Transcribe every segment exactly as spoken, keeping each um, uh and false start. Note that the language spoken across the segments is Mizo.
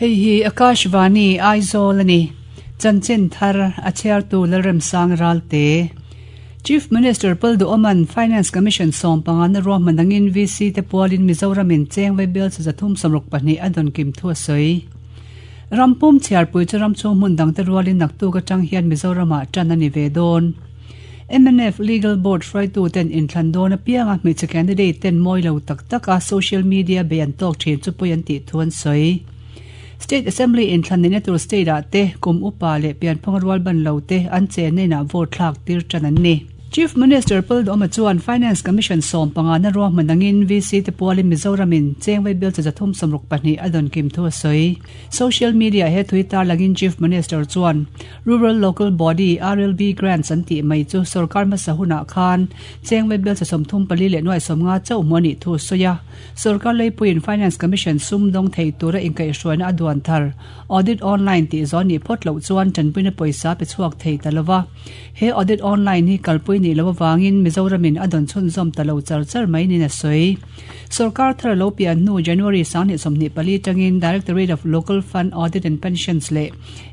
Hei hi Akashvani Aizawl ani. Chanchin thar a chhiartu Lalremsang Ralte. Chief Minister Puldu Oman Finance Commission sawm panga na ruahman angin V C te pualin Mizoramin cheng vaibel chi zathum sawmruk pahnih a dawn kim thu a sawi. Rampum chhiarpui chu ram chhung hmun dang te rualin naktuk atang hian Mizoramah tan a ni ve dawn. M N F Legal Board hruaitu ten inthlan dawn apianga hmeichhe candidate ten mawi lo tak taka social media bei an tawk thin chu pawi an tih thu an sawi. State Assembly inthlan nihna tur state ah te kum upa leh pianphung rual ban lo te an chen na inah vote thlak tir tan an ni. Chief Minister Puldu Oma chuan Finance Commission sawm panga na ruahman angin V C te pualin Mizoramin cheng vaibel chi zathum sawmruk pahnih a dawn kim thu a sawi. Social media he thui tar langin Chief Minister chuan Rural Local Body R L B grants an tih mai chu sarkar hmasa hunah khan cheng vaibel chi sawmthum pali leh nuai sawmnga chauh hmu anih thu a sawi a. Sarkar leipuiin Finance Commission sum dawng thei tura inkaihhruaina a duan thar audit online tih zawh ni phawt loh chuan tanpuina pawisa pe chhuak thei ta lova. He audit online hi kalpui ni lo awangin Mizoramin a dawn chhunzawm ta lo char char mai niin a sawi. Sarkar thar lo pian hnu January sanghnih sawmhnih pali tangin Directorate of Local Fund Audit and Pensions leh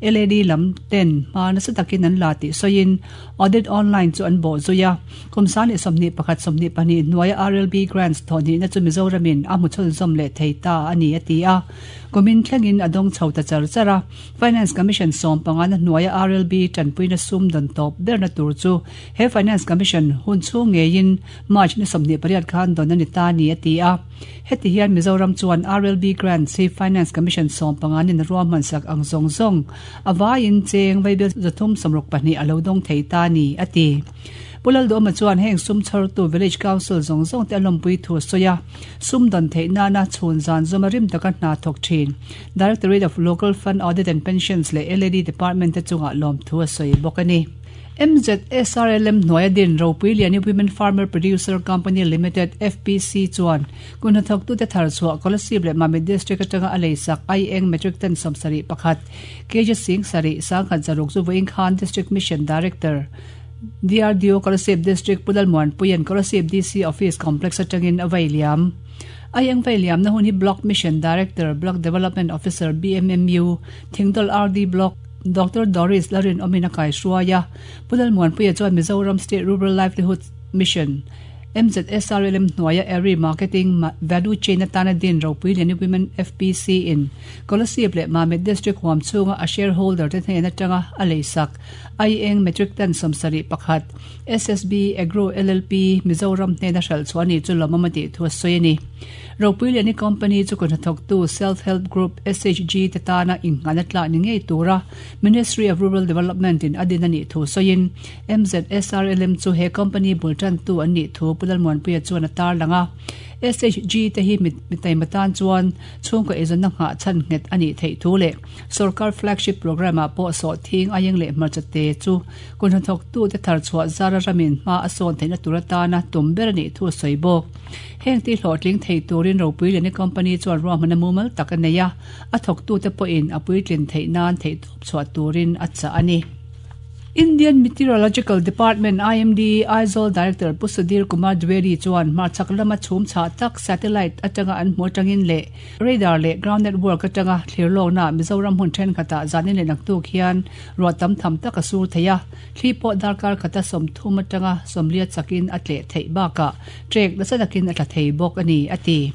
L A D lam ten hma nasa takin an la tih sawiin audit online chu an bawh zui a. Kum sanghnih sawmhnih pakhat sawmhnih pahnih hnuaia R L B grants thawhhnihna chu Mizoramin a hmu chhunzawm leh thei ta a ni a ti a. Kumin thlengin a dawng chho ta char char a. Finance Commission sawm panga na hnuaia R L B tanpuina sum dawn tawp berna tur chu he Finance Commission hun chhung ngeiin March ni sawmhnih pariat khan dawn ani ta ni a ti a. Heti hian Mizoram chuan R L B grants hi Finance Commission sawm panga nin ruahman sak ang zawng zawng awaiin cheng vaibel zathum sawmruk pahnih a lo dawng thei ta ni a ti. Pulal do ma chuan heng sum chhar tu village council zawng zawng te alompui thu soya sum don thei na na chhun zan zoma rim taka hna thawk thin Directorate of Local Fund Audit and Pensions leh L A D Department te chunga lawm thu a sawi bawk ani. M Z S R L M hnuaia din Ropui Liani Women Farmer Producer Company Limited F P C chuan kun thawk tu te thar chhuah Kolasib leh Mamit District atanga a leisak aieng metric ton sawmsarih pakhat K G sing sarih sangkhat zaruk chu vawiin khan District Mission Director D R D O Kolasib District Pulal Muanpuian Kolasib D C Office Complex atangin a vai liam. Ayang vai liam na hun hi Block Mission Director, Block Development Officer B M M U Thingdol R D Block Doctor Doris Larin Omina Kai Shuaya. Pulal Muanpuia chuan Mizoram State Rural Livelihood Mission M Z S R L M hnuaia Area Marketing Value Chain atana din Ropui Liani Women F P C in Kolasib leh Mamit District huam chhunga a shareholder te hnen atanga a leisak aieng metric ton sawmsarih pakhat S S B Agro L L P Mizoram hnena hral chuani chu lawmawm a tih thu a sawi ani. Ropui Liani Company chu kun hnathawktu Self Help Group S H G te tana inghana tla ni ngei tura Ministry of Rural Development in adin ani thu sawiin M Z S R L M chu he company bultan tu an nih thu Pulal Muanpuia chuan a tar langa. S H G te hi mitai matan chuan chhungkaw eizawn na nghah chhan nghet ani theih thu leh sarkar flagship program ah pawh sawh thing aieng leh hmarcha te chu kun hnathawk tu te thar chhuah zara ramin hma a sawn theihna tur atana tum ber ani thu a sawi bawk. Heng ti hlawhtling thei turin Ropui Liani Company chuan ruahman a mumal tak a nei a, a thawk tu te pawhin a puitlin theih nan theih tawp chhuah turin a chah ani. Indian Meteorological Department I M D Aizawl Director Pu Sudhir Kumar Dwivedi chuan hmarchhak lama chhum chhah tak satellite atanga an hmu atangin leh radar leh ground network atanga thlirlawkna Mizoram hun thenkhatah zanin leh naktuk hian ruah tam tham tak a sur thei a, thli pawh darkar khata sawmthum atanga sawmlia chakin a tleh theih bakah trek nasa takin a tla thei bawk ani a ti.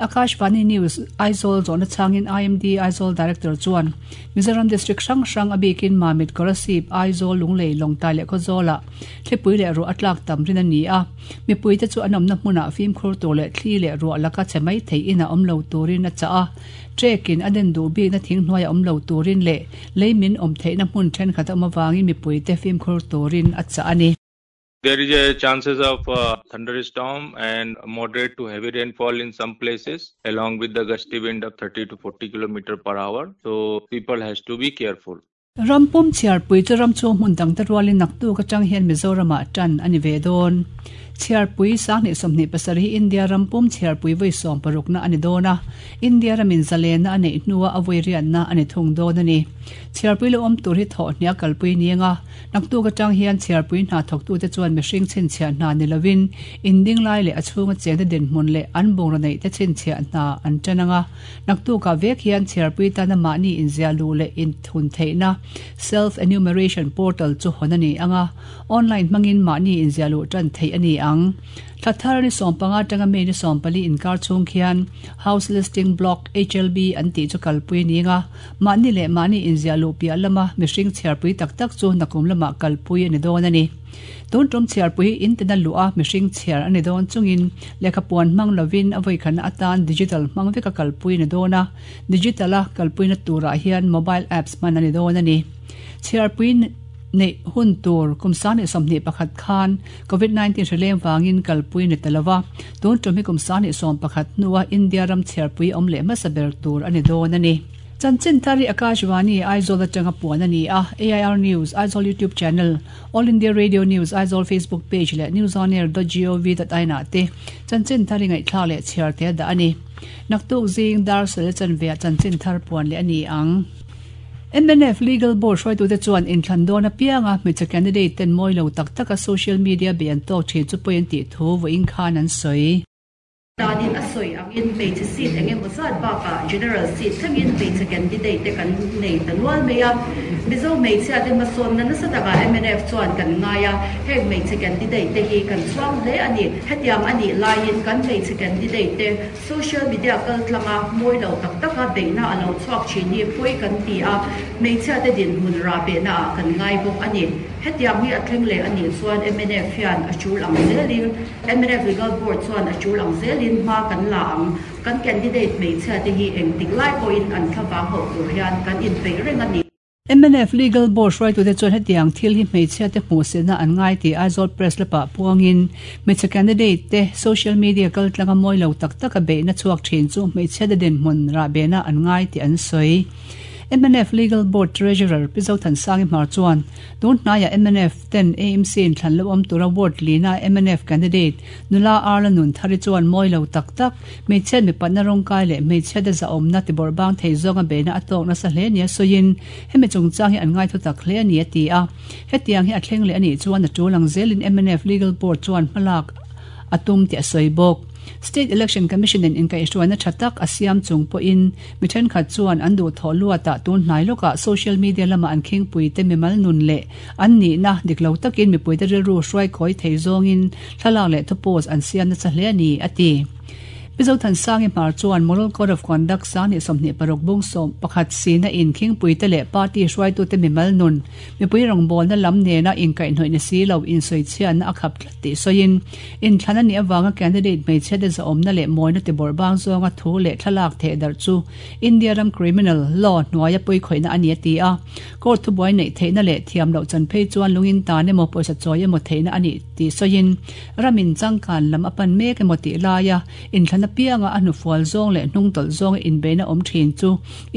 Akashvani News Aizawl zawhna changin I M D Aizawl Director chuan Mizoram District hrang hrang a bikin Mamit, Kolasib, Aizawl, Lunglei, Lawngtlai leh Khawzawlah thlipui leh ruah a tlak tam rin ani a. Mipui te chu an awmna hmunah fimkhur tur leh thli leh ruah laka che mai thei ina awm lo turin a chah a. Trekin a den duh bikna thing hnuaia awm lo turin leh leimin awm theihna hmun thenkhat a awm awangin mipui te fimkhur turin a chah ani. There is a chances of uh, thunderstorm and moderate to heavy rainfall in some places, along with the gusty wind of thirty to forty kilometer per hour. So people has to be careful. Rampum chhiarpui chu ram chhung hmun dang te rualin naktuk atang hian Mizoramah tan ani ve dawn. Chhiarpui sanghnih sawmhnih pasarih India rampum chhiarpui vawi sawm parukna ani dawn a India ramin zalena a neih hnua a vawi riatna ani thung dawn ani chhiarpui lo awm tur hi thawh hnia kalpui nianga naktuk atang hian chhiarpui hna thawktu te chuan mihring chhinchhiah hna ni lovin inding lai leh a chhunga chengte dinhmun leh an bungraw neih te chhinchhiah hna an tan anga naktuka vek hian chhiarpui tana mahni inziah luh leh inthun theihna self enumeration portal chu hawn ani anga online hmangin mahni inziah luh tan theih ani ang Thathar ni sawmpanga tanga me ni sawmpali inkar chung khian house listing block H L B an ti chu kalpui ninga mahni leh mahni inziah luh piah lama mihring chhiarpui tak tak chu nakum lama kalpui ani dawn ani tun tum chhiarpui in tina luh a mihring chhiar ani dawn chungin lehkha puan hmang lovin a vawi khana atan digital hmang veka kalpui ni dawn a digital a kalpui na turah hian mobile apps hman ani dawn ani chhiarpui nei hun tur kumsani somni pakhat khan covid nineteen hreleng wangin kalpui ni talawa tun tum hi kumsani som pakhat nuwa India ram chhiarpui awm leh hmasa ber tur ani dawn ani Chanchin Thari Akashvani Aizawl atanga puan ani a A I R News Aizawl YouTube channel All India Radio News Aizawl Facebook page leh newsonair dot gov dot in ah te Chanchin Thari ngaihthla leh chhiar te da ani naktuk zing dar sel chanve Chanchin Thar puan leh ani ang M N F Legal Board hruaitu te chuan inthlan dawn apianga hmeichhe candidate ten mawi lo tak taka social media be an tawk thin chu pawhin tih thu vawiin khan an sawi. Danin a sawi angin hmeichhe seat eng emaw zat bakah general seat thlengin hmeichhe candidate te kan nei ta nual mai a Mizo hmeichhia te hmasawnna nasa takah M N F chuan kan ngai a heng hmeichhe candidate te hi kan chhuang hle ani hetiang ani laiin kan hmeichhe candidate te social media kal tlanga mawi lo tak taka beihna a lo chhuak thin hi pawi kan ti a hmeichhia te dinhmun ra behna ah kan ngai bawk ani hetiang hi a thleng leh ani chuan M N F hian a tul ang zelin M N F Legal Board chuan a tul ang zelin hma kan la ang kan candidate hmeichhia te hi eng tik lai pawhin an thlawang ho tur hian kan inpeih reng ani. M N F Legal Board hruaitu te chuan hetiang thil hi hmeichhia te hmuh sena an ngai ti Aizawl Press lapa puangin hmeichhe candidate te social media kal tlanga mawi lo tak taka beihna chhuak thin chu hmeichhia te dinhmun rah behna an ngai ti an sawi. M N F Legal Board Treasurer Pi Zothansangi Hmar chuan tun hnaiah M N F ten A M C in thlan lo awm tura ward lina M N F candidate nula Arla nun thari chuan mawi lo tak tak hmeichhiat mi patna rawngkai leh hmeichhia te zahawmna ti bawrhbang thei zawnga beihna a tawk nasa hle nia sawiin hemi chungchang hi an ngai thu tak hle ani a ti a hetiang hi a thleng leh ani chuan a tul ang zelin M N F Legal Board chuan hmalak a tum ti a sawi bawk. State Election Commission in inkaihhruaina tha tak a siam chung pawhin mi thenkhat chuan an duh thawh luatah tun hnai lawkah social media lama an khingpui te mimal nun leh an nihna diklo takin mipui te rilru hruai khawi thei zawngin thlalak leh thu post an siam nasa hle ani a ti. Pi Zothansangi Hmar chuan Moral Code of Conduct sanghnih sawmhnih paruk bung sawm pakhat sina in khingpui te leh party hruaitu te mimal nun mipui rawngbawlna lam nena inkaihhnawih ni si lo insawichhiatna a khap tlat tih sawiin inthlan ani awanga candidate hmeichhia te zahawmna leh mawina ti bawrhbang zawnga thu leh thlalak theh darh chu India ram criminal law hnuaia pawi khawihna ani a ti a court thubuai neih theihna leh thiam loh chan phei chuan lungin tan emaw pawisa chawi emaw theihna ani tih sawiin ramin changkan lam a pan mek emaw tih laia inthlan apianga a hnufual zawng leh hnung tawlh zawng inbeihna awm thin chu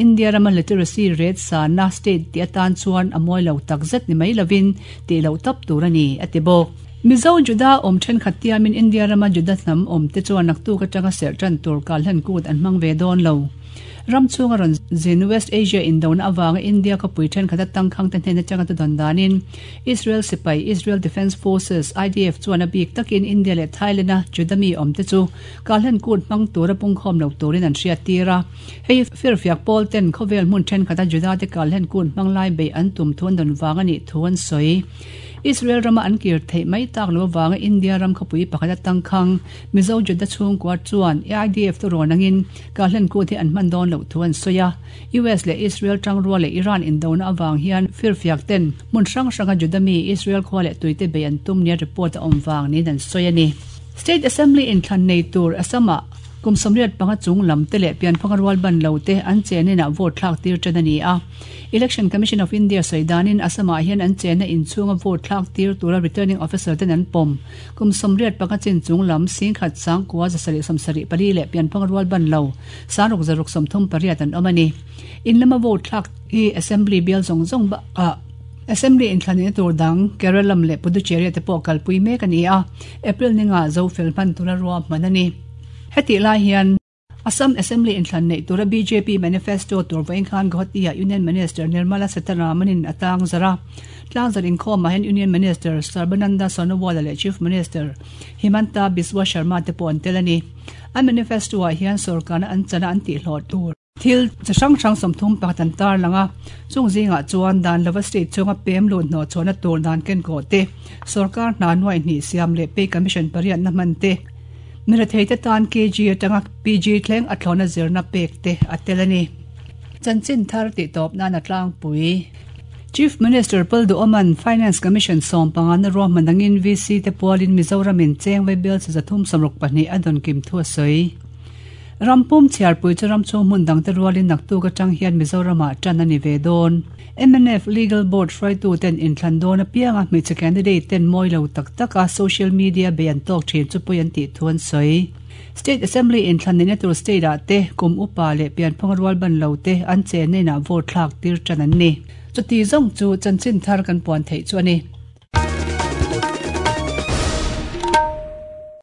India rama literacy rate sana state ti atan chuan a mawi lo tak zet ni mai lovin tih loh tap tur ani a ti bawk. Mizo Juda awm thenkhat tiamin India rama Juda hnam awm te chuan naktuk atanga serh tan tur kalhlan kut an hmang ve dawn lo. Ram chunga rawn zin West Asia indona awanga India ka pui thenkhat atang khang te hnena changa tu don danin Israel sipai Israel Defense Forces I D F chuan a bik takin India leh Thailand a Judami awm te chu kalhlan kut hmang tura pungkhawm lo turin an hriat tira hei firfiak pawl ten khawvel hmun thenkhat a Juda te kalhlan kut hmang lai bei an tum thun don wang ani thu an sawi. Israel rama an kir thei mai tak lo wanga India ram khapui pakhat atang khang Mizo Juda chung kwar chuan I D F tu ronangin kalhlan kut hi an hman dawn lo thu an soya U S le Israel tangruwa le Iran indona awang hian firfiak ten mun hrang hranga Judami Israel khwa le tuite be an tum nia report a awm wang ni dan soya ni. State Assembly in thlan nei tur Assama kum somriat panga chung lam te leh pian phanga rual ban lo te an chenina vote thlak tir tan ani a Election Commission of India soidanin Assama hian an chena in chunga vote thlak tir tura returning officer ten an pom kum somriat panga chin chung lam sing khat sang kwa zasari samsari pali leh pian phanga rual ban lo sanruk zaruk somthum pariat an awm ani in lama vote thlak hi assembly bial zong zong ba a Assembly inthlanina tur dang Kerala lam leh Puducherry te pawh kalpui mek a ni a, April ninga zo fel hman tura ruahman a ni. Hetih lai hian Assam Assembly inthlan neih tura B J P manifesto tur vawiin khan Guwahati-ah Union Minister Nirmala Sitharaman-in a tlang zarh a. Tlang zarh inkhawmah hian Union Minister Sarbananda Sonowal leh Chief Minister Himanta Biswa Sharma te pawh an tel a ni. An manifesto-ah hian sorkarna an chana an tihhlawh tur thil chi hrang hrang sawmthum pakhat an tar lang a. Chung zingah chuan dan lova state chunga pem lut hnawh chhuahna tur dan kenkawh te, sorkar hna nuai hnih siam leh pay commission pariatna hman te, mirethei te tan K G atanga P G thleng a thlawna zirna pek te a tel a ni. Chanchin thar tih tawp nan a tlangpui. Chief Minister Lalduhoma'n Finance Commission sawm panga na ruahman angin V C te pualin Mizoramin cheng vaibel chi zathum sawmruk pahnih a dawn kim thu a sawi. Rampum chhiarpui chu ram chhung hmun dangte rualin naktuk atang hian Mizoramah tan a ni ve dawn. M N F Legal Board hruaitu ten inthlan dawn apianga hmeichhe candidate ten mawi lo tak taka social media bei an tawk thin chu pawi an tih thu an sawi. State Assembly inthlan neihna tur state ah te kum upa leh pianphung rual ban lo te an chen na inah vote thlak tir tan an ni. Chuti zawng chu chanchin thar kan puan theih chu a ni.